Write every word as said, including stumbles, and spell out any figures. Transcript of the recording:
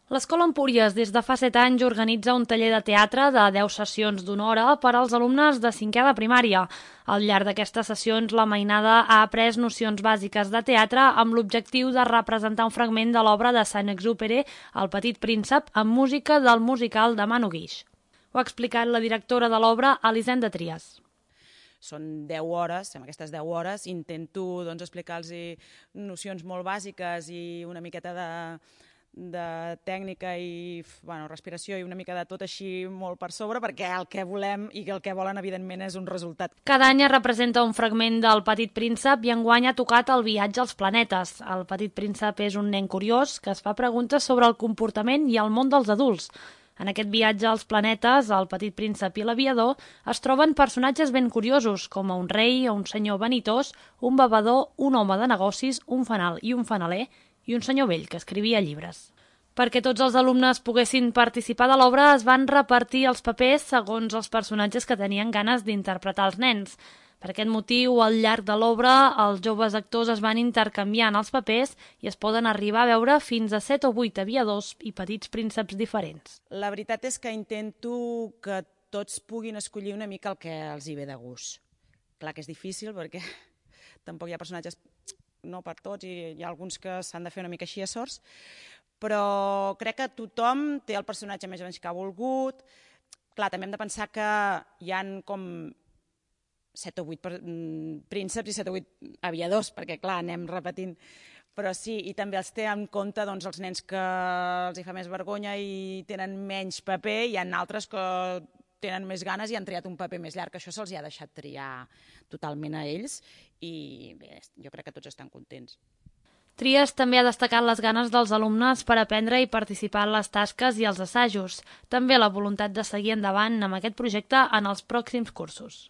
L'Escola Empúries des de fa set anys organitza un taller de teatre de deu sessions d'una hora per als alumnes de cinquè de primària. Al llarg d'aquestes sessions, la mainada ha après nocions bàsiques de teatre amb l'objectiu de representar un fragment de l'obra de Saint-Exupéry, El petit príncep, amb música del musical de Manu Guix. Ho ha explicat la directora de l'obra, Elisenda Trias. Són deu hores, en aquestes deu hores intento doncs, explicar-los nocions molt bàsiques i una miqueta de, de tècnica i bueno, respiració i una mica de tot així molt per sobre, perquè el que volem i el que volen evidentment és un resultat. Cada any es representa un fragment del Petit Príncep i enguany ha tocat el viatge als planetes. El Petit Príncep és un nen curiós que es fa preguntes sobre el comportament i el món dels adults. En aquest viatge als planetes, el Petit Príncep i l'aviador, es troben personatges ben curiosos, com un rei, un senyor vanitós, un bevedor, un home de negocis, un fanal i un fanaler, i un senyor vell que escrivia llibres. Perquè tots els alumnes poguessin participar de l'obra, es van repartir els papers segons els personatges que tenien ganes d'interpretar els nens. Per aquest motiu, al llarg de l'obra, els joves actors es van intercanviant els papers i es poden arribar a veure fins a set o vuit aviadors i petits prínceps diferents. La veritat és que intento que tots puguin escollir una mica el que els hi ve de gust. Clar que és difícil perquè tampoc hi ha personatges, no per tots, i hi ha alguns que s'han de fer una mica així a sorts, però crec que tothom té el personatge més o menys que ha volgut. Clar, també hem de pensar que hi han com set o vuit prínceps i set o vuit aviadors, perquè clar, anem repetint. Però sí, i també els té en compte doncs, els nens que els hi fa més vergonya i tenen menys paper, i hi ha altres que tenen més ganes i han triat un paper més llarg. Això se'ls ha deixat triar totalment a ells i bé, jo crec que tots estan contents. Trias també ha destacat les ganes dels alumnes per aprendre i participar en les tasques i els assajos. També la voluntat de seguir endavant amb aquest projecte en els pròxims cursos.